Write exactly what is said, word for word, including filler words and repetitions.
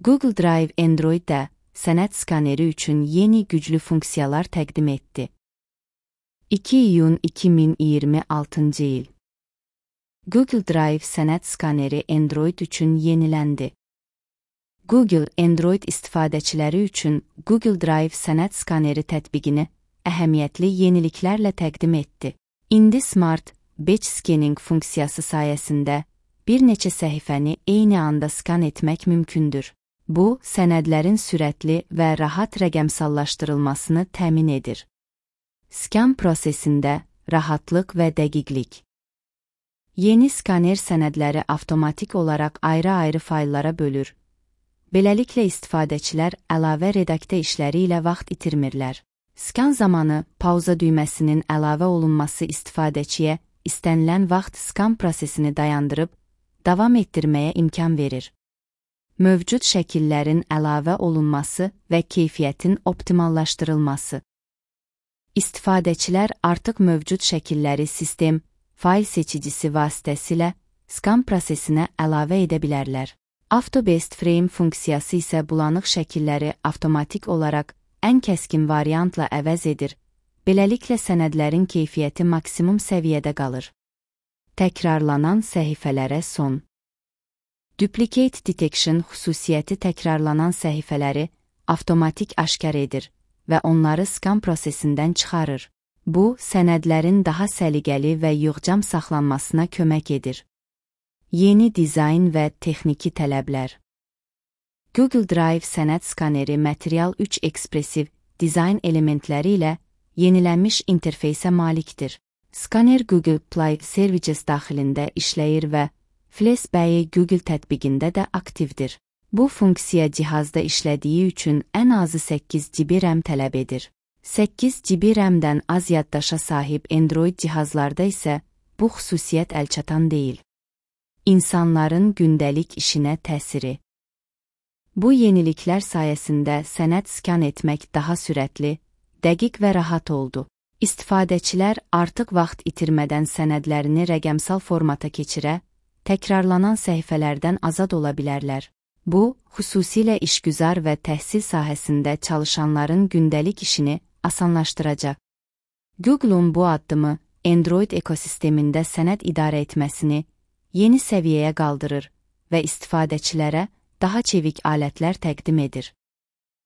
Google Drive Android-də sənəd skaneri üçün yeni güclü funksiyalar təqdim etdi. iki iyun iki min iyirmi altıncı il. Google Drive sənəd skaneri Android üçün yeniləndi. Google Android istifadəçiləri üçün Google Drive sənəd skaneri tətbiqini əhəmiyyətli yeniliklərlə təqdim etdi. İndi Smart Batch Scanning funksiyası sayəsində bir neçə səhifəni eyni anda skan etmək mümkündür. Bu, sənədlərin sürətli və rahat rəqəmsallaşdırılmasını təmin edir. Skan prosesində rahatlıq və dəqiqlik. Yeni skaner sənədləri avtomatik olaraq ayrı-ayrı fayllara bölür. Beləliklə istifadəçilər əlavə redaktə işləri ilə vaxt itirmirlər. Skan zamanı pauza düyməsinin əlavə olunması istifadəçiyə istənilən vaxt skan prosesini dayandırıb, davam etdirməyə imkan verir. Mövcud şəkillərin əlavə olunması və keyfiyyətin optimallaşdırılması. İstifadəçilər artıq mövcud şəkilləri sistem, fayl seçicisi vasitəsilə skan prosesinə əlavə edə bilərlər. Auto Best Frame funksiyası isə bulanıq şəkilləri avtomatik olaraq ən kəskin variantla əvəz edir. Beləliklə sənədlərin keyfiyyəti maksimum səviyyədə qalır. Təkrarlanan səhifələrə son. Duplicate Detection xüsusiyyəti təkrarlanan səhifələri avtomatik aşkar edir və onları skan prosesindən çıxarır. Bu, sənədlərin daha səliqəli və yığcam saxlanmasına kömək edir. Yeni dizayn və texniki tələblər. Google Drive sənəd skaneri Material üç ekspresiv dizayn elementləri ilə yenilənmiş interfeysə malikdir. Skaner Google Play Services daxilində işləyir və FlashBay Google tətbiqində də aktivdir. Bu funksiya cihazda işlədiyi üçün ən azı səkkiz giqabayt RAM tələb edir. səkkiz giqabayt RAM-dən az yaddaşa sahib Android cihazlarda isə bu xüsusiyyət əlçatan deyil. İnsanların gündəlik işinə təsiri. Bu yeniliklər sayəsində sənəd skan etmək daha sürətli, dəqiq və rahat oldu. İstifadəçilər artıq vaxt itirmədən sənədlərini rəqəmsal formata keçirə, təkrarlanan səhifələrdən azad ola bilərlər. Bu, xüsusilə işgüzar və təhsil sahəsində çalışanların gündəlik işini asanlaşdıracaq. Google-un bu addımı Android ekosistemində sənəd idarə etməsini yeni səviyyəyə qaldırır və istifadəçilərə daha çevik alətlər təqdim edir.